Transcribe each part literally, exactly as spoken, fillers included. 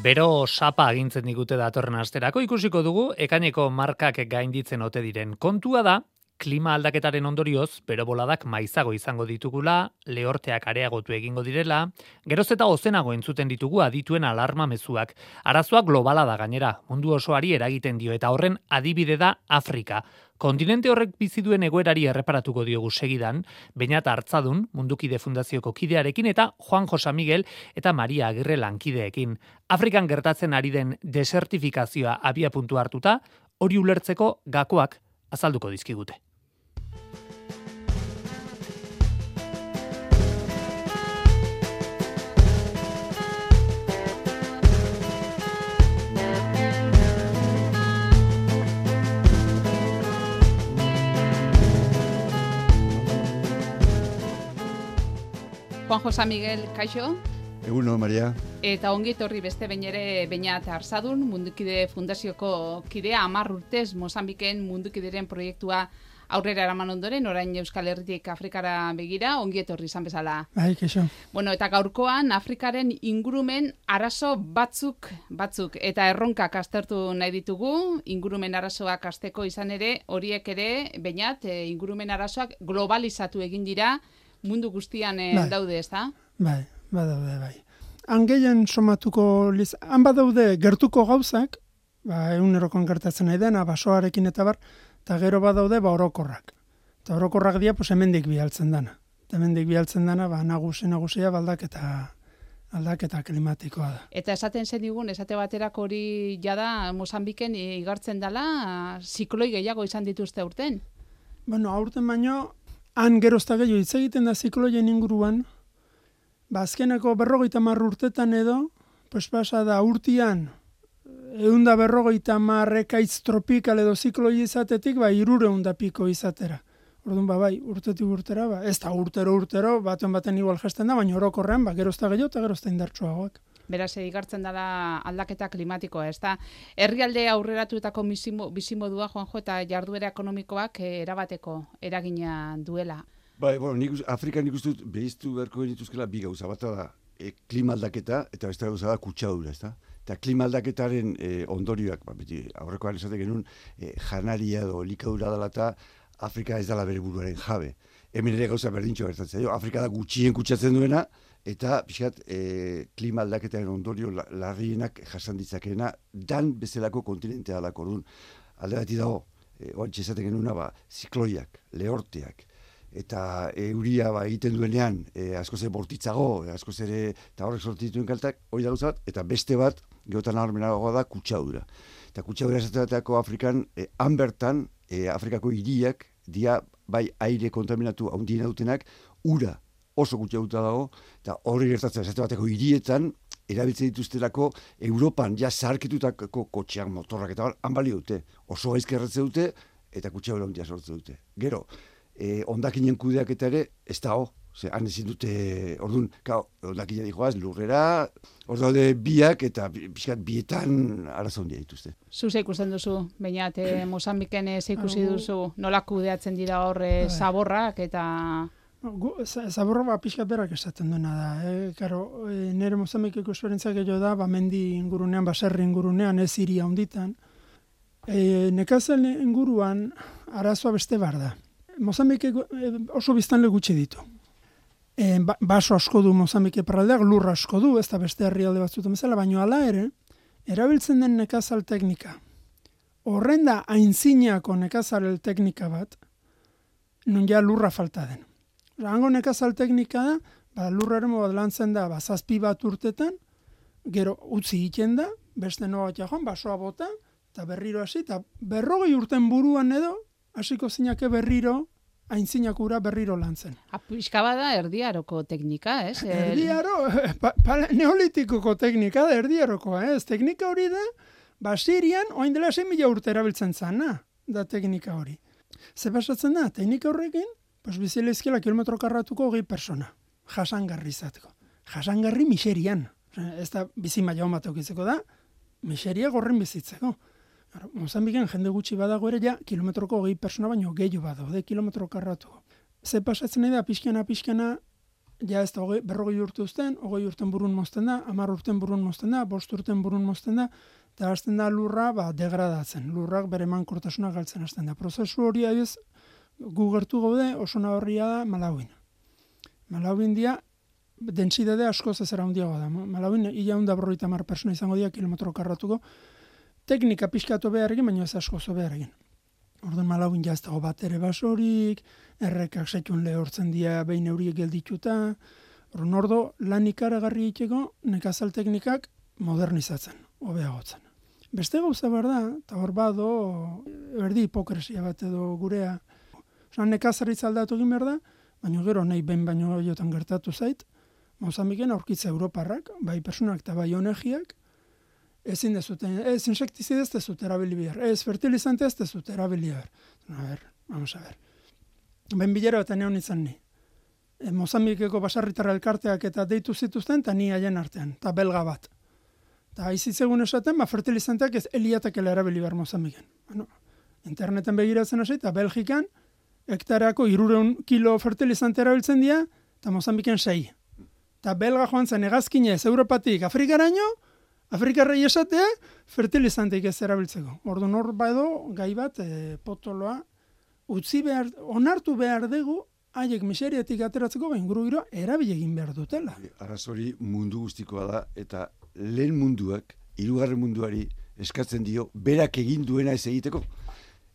Bero sapa agintzen digute datorren asterako, ikusiko dugu ekaineko markak gainditzen ote diren. Kontua da, klima aldaketaren ondorioz, bero boladak maizago izango ditugula, lehorteak areagotu egingo direla, geroz eta ozenago entzuten ditugu adituen alarma mezuak. Arazoa globala da gainera, mundu osoari eragiten dio, eta horren adibide da Afrika. Kontinente horrek bizi duen egoerari erreparatuko diogu segidan, Beñat Hartzadun, Mundukide Fundazioko kidearekin, eta Juan Josa Miguel eta Maria Agirre lankideekin. Afrikan gertatzen ari den desertifikazioa abia puntu hartuta, hori ulertzeko gakoak azalduko dizkigute. Juan Josa Miguel, kaixo? Eguno, Maria. Eta ongi etorri beste behin ere Beñat Hartzadun, Mundukide Fundazioko kidea, hamar urtez Mozambiken Mundukideren proiektua aurrera eraman ondoren, orain Euskal Herritik Afrikara begira, ongi etorri izan bezala. Bai, kaixo. Bueno, eta gaurkoan Afrikaren ingurumen arazo batzuk, batzuk, eta erronkak aztertu nahi ditugu, ingurumen arazoak azteko izan ere, horiek ere, Beñat, e, ingurumen arazoak globalizatu egin dira, mundu guztian e, bai. daude, ez da? Bai, badaude, bai. Han gehien somatuko, liz... han badaude gertuko gauzak, ba, egunerokoan gertatzen nahi dena, basoarekin eta bar, eta gero badaude ba orokorrak. Eta orokorrak dia, pues hemendik bialtzen dana. Eta hemendik bialtzen dana, ba, nagusi nagusia, aldaketa aldaketa klimatikoa da. Eta esaten zen digun, esate baterako hori jada Mozambiken igartzen dela, zikloi gehiago izan dituzte urten? Bueno, aurten baino, han gerozta gehiago hitz egiten da zikloien inguruan, ba, azkeneko berrogeita hamar urtetan edo, pues pasa da urtian, eunda berrogeita hamar ekaitz tropikal edo zikloi izatetik, ba, irureunda piko izatera. Orduan, ba, bai, urtetik urtera, ba, ez da urtero urtero, baten baten igual jasten da, baina orokorrean, ba, gerozta gehiago eta gerozta indartsuagoak. Beraz, igartzen dela aldaketa klimatikoa, ez da? Herrialde aurreratuetako bizimodua, Juanjo, eta jarduera ekonomikoak erabateko eragina duela. Bai, bueno, nik, Afrikan nik uste dut behiztu beharko genituzkela bi gauza. Bata da, e, klima aldaketa, eta beste gauza da kutsadura, ez da? Eta klima aldaketaren e, ondorioak, ba, beti aurrekoan esatek genuen, e, janaria edo likadura dela eta Afrika ez dela bere buruaren jabe. Hemen ere gauza berdintxo gertatzen. Afrika da gutxien kutsatzen duena, eta pixkat e, klima aldaketaren ondorio larrienak jasan ditzakeena dan bezalako kontinentea dalako. Orduan, alde bati dago, e, oantxe esaten genuna, ba, zikloiak, lehorteak, eta euria ba, egiten duenean e, askoz ere bortitzago, e, askoz ere, eta horrek sortu dituen kaltak, hori da gauza bat, eta beste bat, geotan nabarmenagoa da kutsadura. Eta kutsadura esateatako Afrikan, e, han bertan, e, Afrikako hiriak, dia bai aire kontaminatu handien dutenak, ura oso kutsaduta dago, eta hori gertatzen esate bateko hirietan, erabiltzen dituztelako Europan ja zaharkitutako kotxeak, motorrak eta han balio dute, oso gaizki erratzen dute, eta kutsadura handia sortzen dute. Gero, e, ondakinen kudeak eta ere, ez da ho, ze, han ezin dute, orduan, ondakinen dijoaz, lurrera, hor daude biak, eta pixkat bietan arazo handia dituzte. Zuze ikusten duzu, Beñat, eh, Mozambiken ze ikusi duzu, nola kudeatzen dira horre zaborrak, eta... Zaborra ba, pixkat berak esaten duena da. Eh? Karo, e, nire Mozambikeko esperientzia gehiago da, ba, mendi ingurunean, baserri ingurunean, ez iria honditan. E, Nekazel inguruan arazoa beste bar da. Mozambikeko e, oso biztanle gutxi ditu. E, ba, baso asko du Mozambike parraldeak, lur asko du, ez da beste herrialde batzuetan bezala, baina hala ere, erabiltzen den nekazal teknika. Horren da aintzinako nekazal teknika bat, non ja lurra falta den. Hango nekazal teknika da, ba, lurraren bat lantzen da, ba, zazpi bat urtetan, gero utzi egiten da, beste noa bat joan, basoa bota, eta berriro hasi, eta berrogei urten buruan edo, hasiko zinake berriro, aintzinakura berriro lantzen. Pixka bada erdiaroko teknika, ez? Erdiaro, pa, pa, neolitikoko teknika da, erdiarokoa, ez? Teknika hori da, ba, Sirian, oain dela zein mila urte erabiltzen zana, da teknika hori. Ze pasatzen da, teknika horrekin, pues bizilezkela kilometro karratuko hogei persona, jasangarri izateko. Jasangarri miserian. Ez da bizi maila bat eukitzeko da, miseria gorren bizitzeko. Mozambiken jende gutxi badago ere ja, kilometroko hogei persona baino gehiago badaude kilometro karratuko. Ze pasatzen da, pixkana, pixkana, ja ez da berrogei urte uzten, hogei urten burun mozten da, hamar urten burun mozten da, bost urten burun mozten da, eta hasten da lurra ba, degradatzen, lurrak bere mankortasuna galtzen hasten da. Prozesu hori ez gu gertu gaude oso nabarria da Malawin. Malawin dia, dentsidade askoz ez era handiagoa da. Malawin ia hunda berrogeita hamar persona izango dira kilometro karratuko, teknika pixkatu behar egin, baina ez askoz behar egin. Orduan Malawin ja ez dago bat ere basorik, errekak setxun lehortzen dira behin euriek geldituta, orduan ordo lan ikaragarri itxeko nekazal teknikak modernizatzen, hobeagotzen. Beste gauza behar da, eta hor bado, erdi hipokresia bat edo gurea, osan nekazaritza aldatu egin behar da, baina gero nahi behin baino jotan gertatu zait, Mozambiken aurkitza Europarrak, bai personak eta bai onegiak, ezin dezuten, ez insektizide ez dezut erabili behar, ez fertilizante ez dezut erabili behar. A ver, vamos a ver. Ben bilera eta neon izan ni. E, Mozambikeko basarritarra elkarteak eta deitu zituzten, eta ni haien artean, eta belga bat. Eta aizitzegun esaten, ba, fertilizanteak ez eliatakela erabili behar Mozambiken. Bueno, interneten begiratzen hasi, eta Belgikan, hektareako irureun kilo fertilizante erabiltzen dira, eta Mozambiken sei. Eta belga joan zen egazkinez, Europatik, Afrikaraino, Afrikarrei esatea, fertilizanteik ez erabiltzeko. Orduan hor bado, gai bat, e, potoloa, utzi behar, onartu behar dugu, haiek miseriatik ateratzeko, bain guru gero, erabile egin behar dutela. Arrazori mundu guztikoa da, eta lehen munduak, hirugarren munduari eskatzen dio, berak egin duena ez egiteko.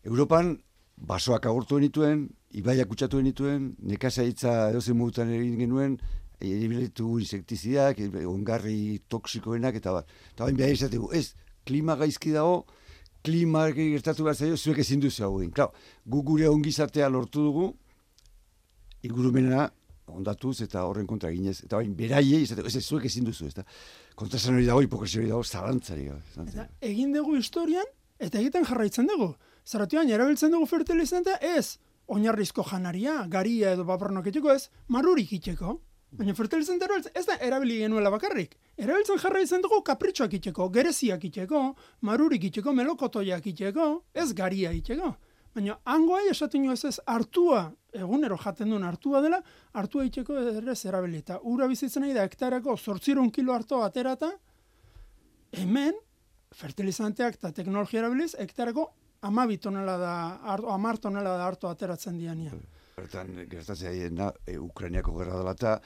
Europan, basoak agortu genituen, ibaiak kutsatu genituen, nekazaritza edozen modutan egin genuen, eribilitu insektizidak, ongarri toksikoenak, eta bat. Eta bain behar izategu, ez, klima gaizki dago, klima gertatu behar zaio, zuek ezin duzu hau egin. Klar, gu gure ongizatea lortu dugu, ingurumena ondatuz eta horren kontra ginez. Eta bain, beraiei, izategu, ez, zuek ezin duzu, ez da. Kontrasan hori dago, hipokresia hori dago, zalantzari. Eta egin dugu historian, eta egiten jarraitzen dugu. Zaratioan, erabiltzen dugu fertilizantea, ez, oinarrizko janaria, garia edo babarnok itxeko, ez, marurik itxeko. Baina fertilizante ez da erabili genuela bakarrik. Erabiltzen jarraitzen dugu kapritxoak itxeko, gereziak itxeko, marurik itxeko, melokotoiak itxeko, ez garia itxeko. Baina hangoai esaten jo ez ez hartua, egunero jaten duen hartua dela, hartua itxeko ere ez erabili. Eta ura bizitzen nahi da hektareko zortzirun kilo harto aterata, hemen fertilizanteak eta teknologia erabiliz, hektareko amabi tonela da, amar tonela da harto ateratzen diania. Bertan, gertatzea da, e, Ukrainiako gerra dela eta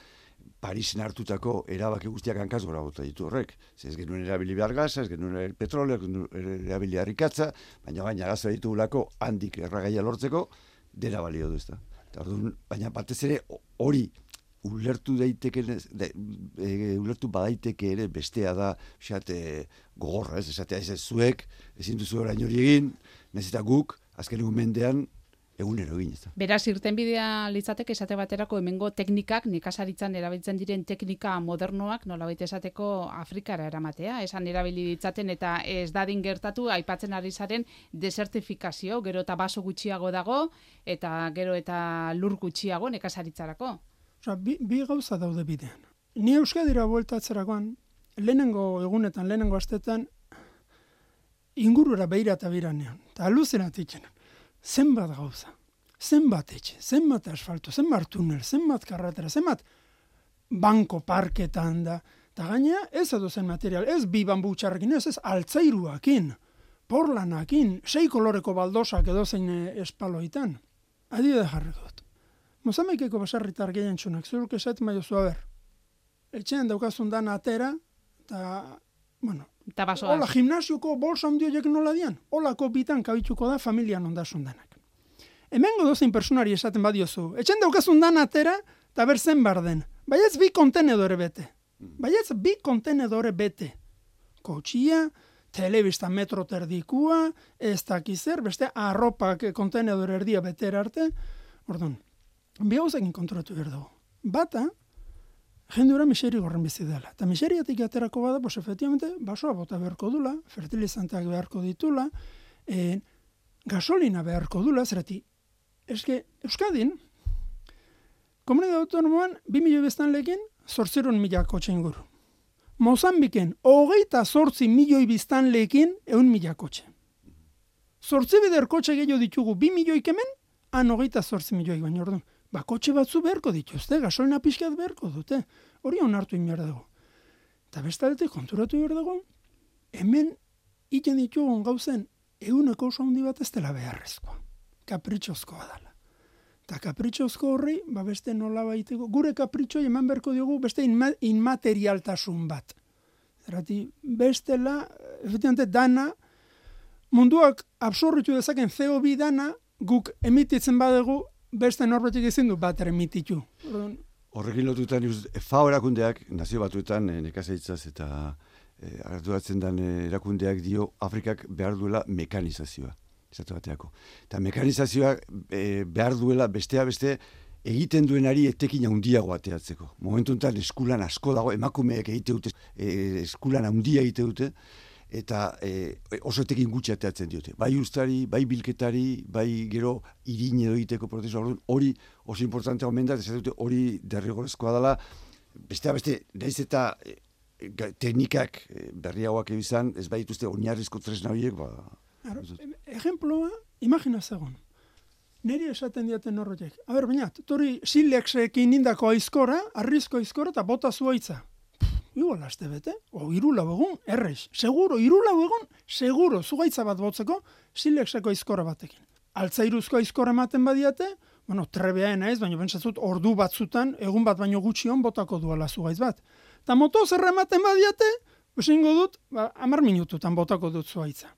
Parisen hartutako erabaki guztiak hankaz gora bota ditu horrek. Ez genuen erabili behar gaza, ez genuen petroleo, ez genuen erabili harrikatza, baina baina gaza ditugulako handik erragaia lortzeko, dena balio du ez da. Baina batez ere hori ulertu daiteke, de, e, ulertu badaiteke ere bestea da, esate gogorra, ez, esatea ez ez zuek, ezin duzu orain hori egin, nezita guk, azken egun mendean, egunero egin, ez da. Beraz, irtenbidea litzateke esate baterako hemengo teknikak, nekazaritzan erabiltzen diren teknika modernoak, nolabait esateko Afrikara eramatea, esan erabili ditzaten eta ez dadin gertatu, aipatzen ari zaren desertifikazio, gero eta baso gutxiago dago, eta gero eta lur gutxiago nekazaritzarako. Osa, bi, bi gauza daude bidean. Ni Euskadira bueltatzerakoan, lehenengo egunetan, lehenengo astetan, ingurura beira eta biranean, eta aluzinat itxenan. Zenbat gauza, zenbat etxe, zenbat asfalto, zenbat tunel, zenbat karratera, zenbat banko parketan da. Eta gaina ez edo zen material, ez bi bambu txarrekin, ez ez altzairuakin, porlanakin, sei koloreko baldosak edo zein espaloitan. Adibide jarriko dut. Mozambikeko basarritar gehien txunak, zuruk esaten bai oso haber. Etxean daukazun dan atera, eta, bueno, eta basoaz. Hola, gimnasioko bolsa ondioiek nola dian, holako bitan kabituko da familian ondasun danak. Hemengo dozein personari esaten badiozu, etxean daukazun dan atera, eta berzen barden. Baietz bi kontenedore bete. Baietz bi kontenedore bete. Kotxia, telebista metro terdikua, ez dakizer, beste arropak kontenedore erdia betera arte. Orduan, bi hauzekin kontrolatu behar dugu. Bata, jendura miseri gorren bizi dela. Eta miseriatik aterako bada, pues efectivamente, basoa bota beharko dula, fertilizanteak beharko ditula, e, gasolina beharko dula, zerati, eske, Euskadin, komunidade autonomoan, bi milioi biztanleekin, zortzirun mila kotxe inguru. Mozambiken, hogeita zortzi milioi biztanleekin, eun mila kotxe. Zortzi bider kotxe gehiago ditugu, bi milioik hemen, han hogeita zortzi milioik, baina orduan, ba, kotxe batzu beharko dituzte, gasolina pixkat beharko dute. Hori onartu inbiar dago. Eta bestaldetik konturatu behar dago, hemen iten ditugun gauzen eguneko oso handi bat ez dela beharrezkoa. Kapritxozkoa dela. Eta kapritxozko horri, ba beste nola baiteko, gure kapritxoi eman beharko diogu beste inma, inmaterialtasun bat. Zerati, bestela, efectivamente, dana, munduak absorbitu dezaken C O bi dana, guk emititzen badegu, beste norbetik ezin du bat emititu. Horrekin lotutan, F A O erakundeak, nazio batuetan, e, nekazaritzaz eta e, arduratzen den erakundeak dio, Afrikak behar duela mekanizazioa. Esatu bateako. Eta mekanizazioa e, behar duela bestea beste egiten duenari etekin handiago ateatzeko. Momentu enten eskulan asko dago, emakumeek egite dute, e, eskulan handia egite dute, eta e, oso etekin gutxi ateatzen diote. Bai ustari, bai bilketari, bai gero irin edo egiteko prozesu hori oso importantea omen da, esatu dute hori derrigorrezkoa dela, bestea beste, nahiz eta e, teknikak e, berriagoak ebizan, ez bai dituzte oinarrizko tresna horiek, ba, ejemploa, imagina zegoen. Neri esaten diaten horretek. A ber, baina, tori silexekin indako aizkora, arrizko aizkora eta bota zuaitza. Igual aste bete, o irula begun, erreiz. Seguro, irula begun, seguro, zugaitza bat botzeko, silexeko aizkora batekin. Altzairuzko aizkora ematen badiate, bueno, trebeaena ez, baina bentsatzut ordu batzutan, egun bat baino gutxion botako duela zugaitz bat. Ta motozerra ematen badiate, esingo dut, ba, amar minututan botako dut zuaitza.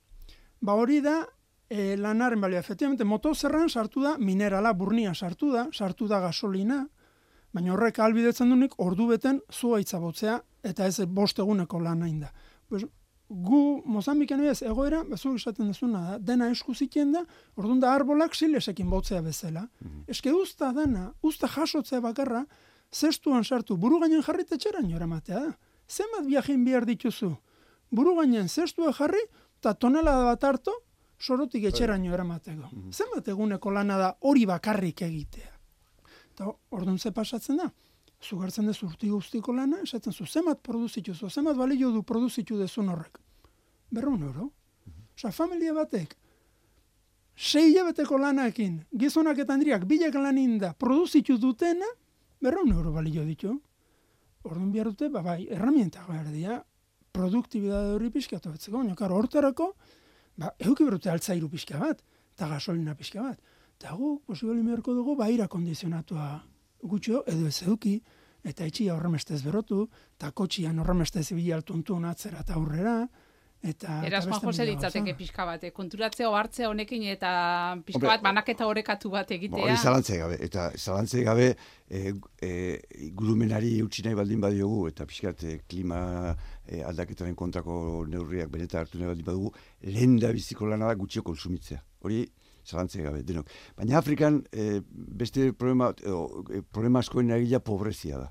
Ba hori da, e, lanaren balia, efectivamente, motozerran sartu da, minerala, burnia sartu da, sartu da gasolina, baina horrek albidetzen dunik ordu beten zuaitza botzea, eta ez bost eguneko lan hain da. Pues, gu, Mozambiken ez, egoera, bezu esaten dezuna da, dena esku zitien da, orduan da arbolak silesekin botzea bezala. Mm-hmm. Eske usta dana, usta jasotzea bakarra, zestuan sartu, buru gainen jarri tetxeran jora matea da. Zenbat viajein behar dituzu? Buru gainen zestua jarri, eta tonelada bat hartu, sorotik etxeraino eramateko. Mm-hmm. Zenbat eguneko lana da hori bakarrik egitea. Eta orduan ze pasatzen da? Zugartzen dezu urti guztiko lana, esaten zu, zenbat produzitu zu, zenbat balio du produzitu dezun horrek. Berrun euro. Mm-hmm. Osa, familia batek, sei hilabeteko lanaekin, gizonak eta handriak bilek lanin da, produzitu dutena, berrun euro balio ditu. Orduan behar dute, ba, bai, herramientak behar dira, produktibidade hori pixkatu betzeko, baina karo hortarako, ba, euki berute altzairu pixka bat, eta gasolina pixka bat. Eta gu, posiboli meherko dugu, ba, aira kondizionatua gutxo, edo ez euki, eta etxia horremestez berotu, eta kotxian horremestez bilaltuntun atzera eta aurrera, eta... Eraz, Juan Jose ditzateke pixka bat, konturatzea ohartzea honekin eta pixka bat banaketa orekatu bat egitea. Hori zalantzei gabe, eta zalantzei gabe e, e, gurumenari eutsi nahi baldin badiogu, eta pixkat e, klima e, aldaketaren kontrako neurriak benetan hartu nahi baldin badugu, lehen da biziko lana da gutxio konsumitzea. Hori zalantzei gabe, denok. Baina Afrikan e, beste problema, e, problema askoen eragila pobrezia da.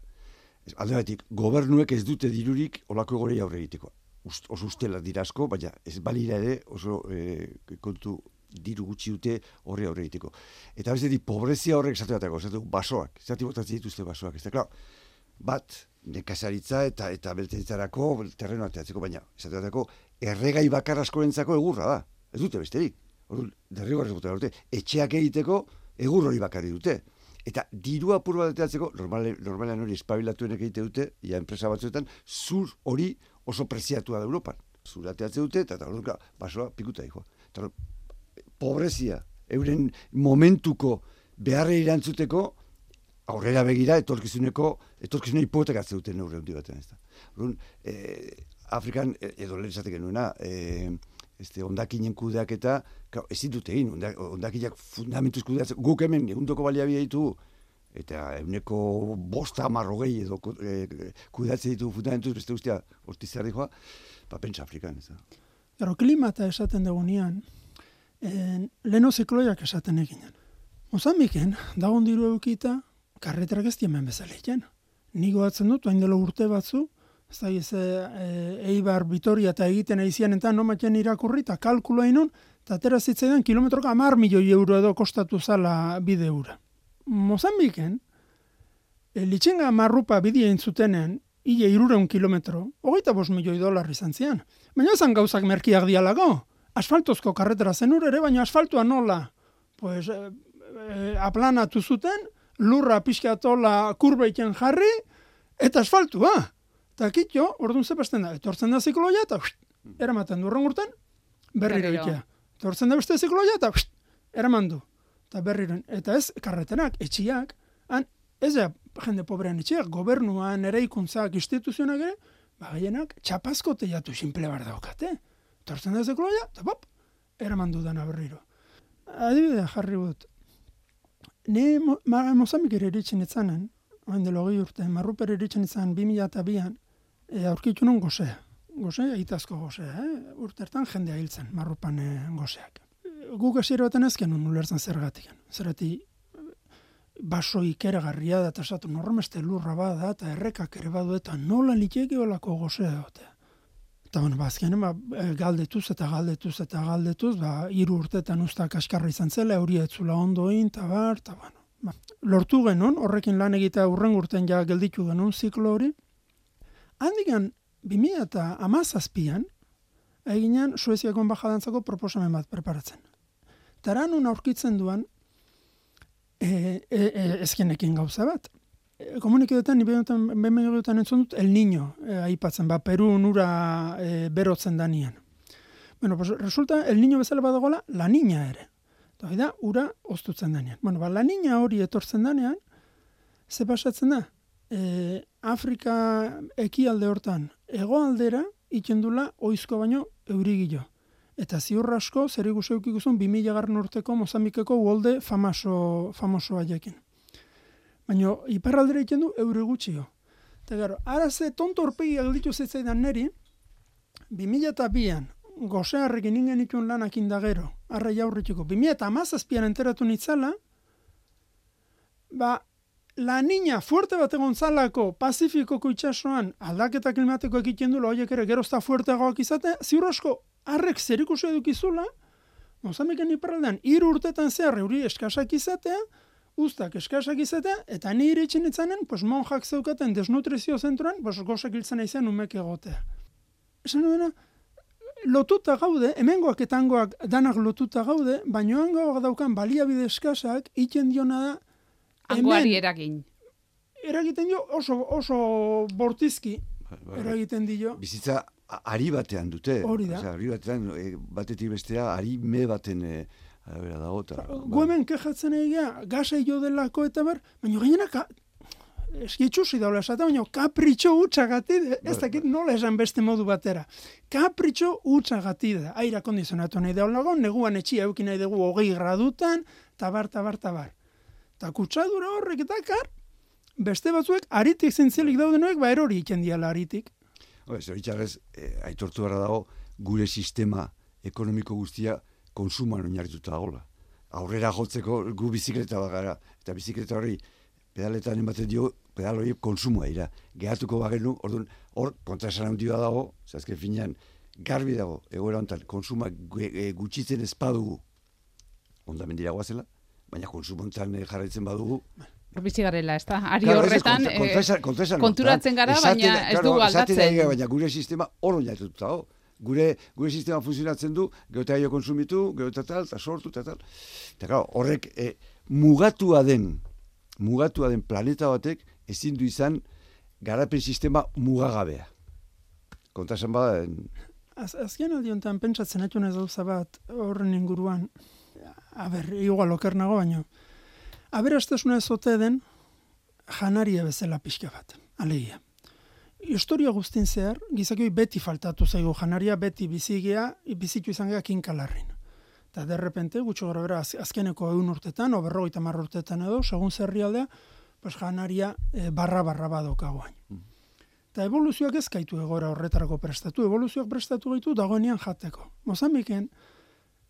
Alde batik, gobernuek ez dute dirurik olako gorei aurre egiteko. Ust, oso ustela dira asko, baina ez balira ere oso e, kontu diru gutxi dute horre aurre egiteko. Eta bestetik, pobrezia horrek esateatako, esateatako basoak, esati botatzen dituzte basoak. Ez da, klar, bat, nekazaritza eta eta beltenitzarako terreno ateatzeko, baina esateatako erregai bakar askorentzako egurra da. Ez dute besterik. Orduan, derrigorrez bota dute, etxeak egiteko egur hori bakarri dute. Eta diru apur bat ateatzeko, normale, normalean hori espabilatuenek egite dute, ja enpresa batzuetan, zur hori oso preziatua da Europan. Zur ateatze dute, eta eta orduan, basoa pikuta dihoa. Eta pobrezia, euren momentuko beharre irantzuteko, aurrera begira, etorkizuneko, etorkizuneko hipotekatze duten neurri handi batean. Orduan, eh, Afrikan, edo lehen esateke nuena, eh, este hondakinen kudeaketa, claro, ezin dute egin, hondakinak fundamentuz kudeatzen, guk hemen egundoko baliabide ditugu, eta eguneko bosta amarrogei edo e, kudeatzen ditugu fundamentuz, beste guztia hortizar dihoa, ba, pentsa Afrikan. Ez da. Gero, klimata esaten dugunean, en, leno zikloiak esaten eginen. Mozambiken, dagon diru eukita, karreterak ez diemen bezala egin. Nigo atzen dut, hain dela urte batzu, ez da, ez, e, Eibar, Vitoria eta egiten aizian eta nomatzen irakurri eta kalkula inun, eta atera zitzaidan kilometroka amar milioi euro edo kostatu zala bide ura. Mozambiken, e, litxenga marrupa bidea intzutenen, ile irureun kilometro, hogeita bost milioi dolar izan zian. Baina ezan gauzak merkiak dialago. Asfaltozko karretera zen ere, baina asfaltua nola? Pues, e, e, aplanatu zuten, lurra pixkatola kurbeiken jarri, eta asfaltua. Eta kitxo, orduan zepasten da, etortzen da zikloia, eta eramaten du urten, berriro itea. Etortzen da beste zikloia, eta eraman du. Eta berriro, eta ez, karreterak, etxiak, han, ez da, jende pobrean etxiak, gobernuan, eraikuntzak, instituzionak ere, ba, gehienak, txapazko teiatu simple bar daukate. Etortzen da zikloia, eta pop, eraman du dana berriro. Adibidea jarri gut. Ni Mozambik ere eritzen etzanen, hain delo gehi urte, Marruper eritzen etzan bi mila eta bian, e, aurkitu nun gozea. Gozea, itazko gozea, eh? Urtertan jendea hiltzen, Marrupan e, gozeak. Guk esiro baten ezken nun ulertzen zergatik. Zerati baso ikeragarria da, eta esatu normeste lurra bada, eta errekak ere badu, eta nola liteke olako gozea dotea. Eta bueno, bazkenen, ba, galdetuz eta galdetuz eta galdetuz, ba, hiru urtetan usta kaskarra izan zela, euria etzula ondoin, eta bar, eta bueno. Ba, lortu genuen, horrekin lan egitea urren urten ja gelditu genuen ziklo hori. Handikan, bi mila eta hamazazpian, eginean Sueziako enbajadantzako proposamen bat preparatzen. Taran un aurkitzen duan, e, e, e, ezkenekin gauza bat. E, komuniketan, bemegoetan entzun dut, El Niño, e, aipatzen, ba, Peru nura e, berotzen danian. Bueno, pues resulta, El Niño bezala badagoela, La Niña ere. Eta da, ura oztutzen danean. Bueno, ba, La Niña hori etortzen danean, ze pasatzen da? E, Afrika ekialde hortan, hegoaldera ikendula oizko baino eurigilo. Eta ziur asko, zer ikusi eukikuzun, bi mila garren urteko Mozambikeko uholde famoso, famoso haiekin. Baina, iparraldera ikendu eure gutxio. Eta gero, araze tonto horpegi agelditu zitzaidan neri, bi mila eta bian, gozearrekin ingen itun lanak indagero, arra jaurritiko, bi mila eta hamazazpian enteratu nitzala, ba, La Niña fuerte bat egon zalako Pazifikoko itsasoan aldaketa klimatiko egiten dula, horiek ere gerozta fuerteagoak izate, ziur asko, harrek zer ikusi edukizula, Mozambiken iparraldean, hiru urtetan zehar euri eskasak izatea, ustak eskasak izatea, eta ni iritsin itzanen, pues monjak zeukaten desnutrizio zentroan, pues gozak hiltzen aizean umek egotea. Esan duena, lotuta gaude, hemengoak eta hangoak danak lotuta gaude, baina hangoak daukan baliabide eskasak, iten diona da, Hangoari eragin. Eragiten dio oso, oso bortizki, eragiten dio. Bizitza ari batean dute. Hori da. Osea, ari batean, e, batetik bestea, ari me baten e, arabera dago. Gu hemen kejatzen egia, gaza jo delako eta ber, baina gainenak eskitxusi daula esaten, baina kapritxo utxagatik, ez dakit nola esan beste modu batera. Kapritxo utxagatik da, aira kondizionatu nahi daulago, neguan etxia eukin nahi dugu hogei gradutan, tabar, tabar, tabar. Eta kutsadura horrek eta kar, beste batzuek aritik zintzelik daudenoek, ba erori iken diala aritik. Zoritxarrez, eh, aitortu gara dago, gure sistema ekonomiko guztia konsuman oinarrituta dagoela. Aurrera jotzeko gu bizikleta bat gara, eta bizikleta hori pedaletan ematen dio, pedal hori konsumoa dira. Gehatuko bagenu, orduan, hor kontraesan handia dago, zazken finean, garbi dago, egoera honetan, konsuma gutxitzen ez badugu, ondamendira guazela, baina konsumontzan jarraitzen badugu. Bizi garela, ez da? Ari horretan, konturatzen gara, baina ez dugu aldatzen. Baina gure sistema hor oinarrituta dago. Gure, gure sistema funtzionatzen du, gero eta aio konsumitu, gero eta tal, eta sortu, eta tal. Eta claro, horrek e, mugatua den, mugatua den planeta batek ezin du izan garapen sistema mugagabea. Kontraesan bada... Az, azken aldiontan pentsatzen etxun ez gauza bat horren inguruan, a ber, igual okernago baino, aberastasuna ez ote den janaria bezala pixka bat, alegia. Historia guztin zehar, gizakioi beti faltatu zaigu janaria, beti bizigea, bizitu izan gea kinkalarrin. Eta derrepente, gutxo gara bera, az, azkeneko egun urtetan, o berrogeita hamar urtetan edo, segun zerrialdea, pues janaria e, barra-barra badokagoain. Mm. Eta evoluzioak ez gaitu egora horretarako prestatu, evoluzioak prestatu gaitu dagoenean jateko. Mozambiken,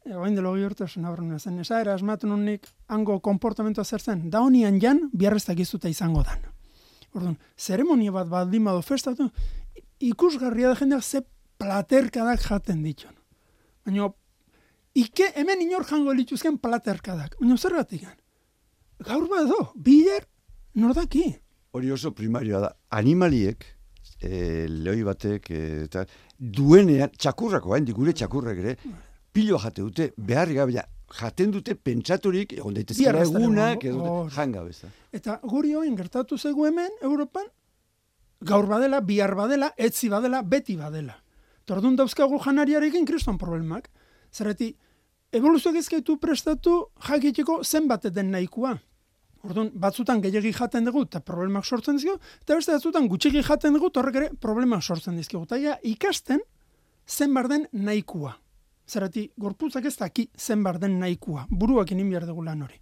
Oain delo gehortasun aurrena zen, esaera asmatu nik hango konportamentoa zer zen, da honian jan, biarreztak izuta izango dan. Orduan, zeremonia bat baldin badu festatu, ikusgarria da jendeak ze platerkadak jaten ditun. Baina, ike hemen inor jango lituzken platerkadak. Baina, zer batik? Gaur bado, bider, nordaki. Hori oso primarioa da, animaliek, e, lehoi batek, e, eta duenean, txakurrako, hain gure txakurrek ere, pilo jate dute, beharri gabe, jaten dute pentsaturik, egon daitezkela egunak, edo janga beza. Eta guri hoin gertatu zegu hemen, Europan, gaur badela, bihar badela, etzi badela, beti badela. Tordun dauzkagu janariarekin kriston problemak. Zerreti, evoluzioak ezkaitu prestatu jakiteko zenbat den nahikoa. Orduan, batzutan gehiagi jaten dugu eta problemak sortzen dizkigu, eta beste batzutan gutxiki jaten dugu, horrek ere problemak sortzen dizkigu. Eta ikasten zenbat den nahikoa. Zerreti, gorputzak ez daki zenbat den nahikoa. Buruak inin behar dugu lan hori.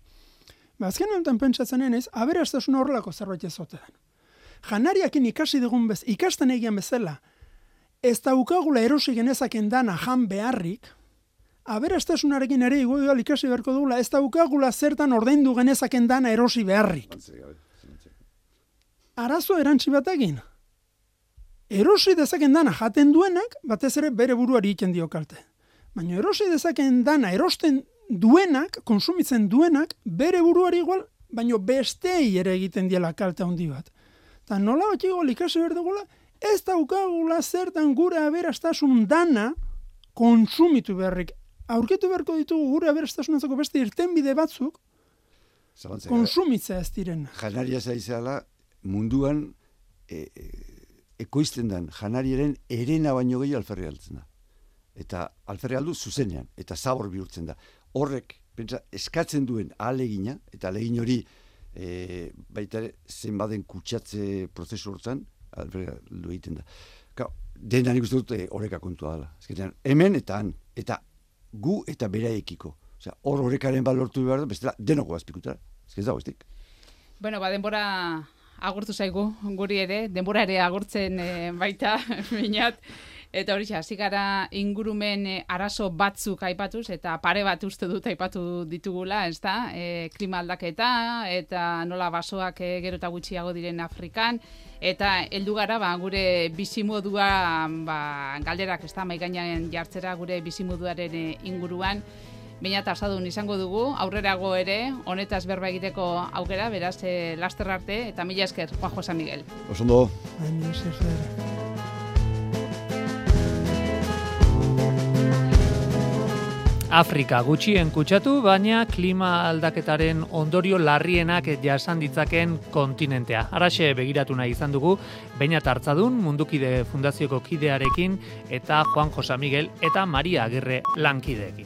Ba, azken honetan pentsatzen enez, aberastasuna horrelako zerbait ez ote den. Janariakin ikasi dugun bez, ikasten egian bezala, ez daukagula erosi genezaken dana jan beharrik, aberastasunarekin ere igual ikasi beharko dugula, ez daukagula zertan ordaindu genezaken dana erosi beharrik. Arazo erantzi batekin. Erosi dezaken dana jaten duenak, batez ere bere buruari egiten dio kalte. Baina erosi dezaken dana erosten duenak, konsumitzen duenak, bere buruari igual, baina bestei ere egiten diela kalte handi bat. Eta nola bat igual ikasi behar dugula, ez daukagula zertan gure aberastasun dana konsumitu beharrik. Aurkitu beharko ditugu gure aberastasunantzako beste irtenbide batzuk Zabantzea, konsumitzea ez direna. Janaria zaizala munduan e, e, ekoizten den janariaren erena baino gehi alferri altzen da. Eta alferri aldu zuzenean, eta zabor bihurtzen da. Horrek, pentsa, eskatzen duen ahalegina, eta ahalegin hori e, baita zenbaden kutsatze prozesu hortan, alferri aldu egiten da. Ka, dena nik uste dut e, horreka kontua dela. Ezketan, hemen eta han, eta gu eta beraekiko. Osea, hor horrekaren balortu behar da, bestela denoko azpikuta. Ez ez dago, ez dik. Bueno, ba, denbora agurtu zaigu, guri ere, denbora ere agurtzen e, baita, minat. Eta hori hasi gara ingurumen e, arazo batzuk aipatuz, eta pare bat uste dut aipatu ditugula, ez da? E, klima aldaketa, eta nola basoak e, gero eta gutxiago diren Afrikan, eta heldu gara ba, gure bizimodua ba, galderak, ez da, maigainan jartzera gure bizimoduaren e, inguruan, baina tasadun izango dugu, aurrerago ere, honetaz berba egiteko aukera, beraz, e, laster arte, eta mila esker, Juanjo San Miguel. Osondo. Baina, ez ez dara. Afrika gutxien kutsatu, baina klima aldaketaren ondorio larrienak jasan ditzaken kontinentea. Haraxe begiratu nahi izan dugu, Beñat Hartzadun, Mundukide Fundazioko kidearekin, eta Juanjo San Miguel eta Maria Agirre lankideekin.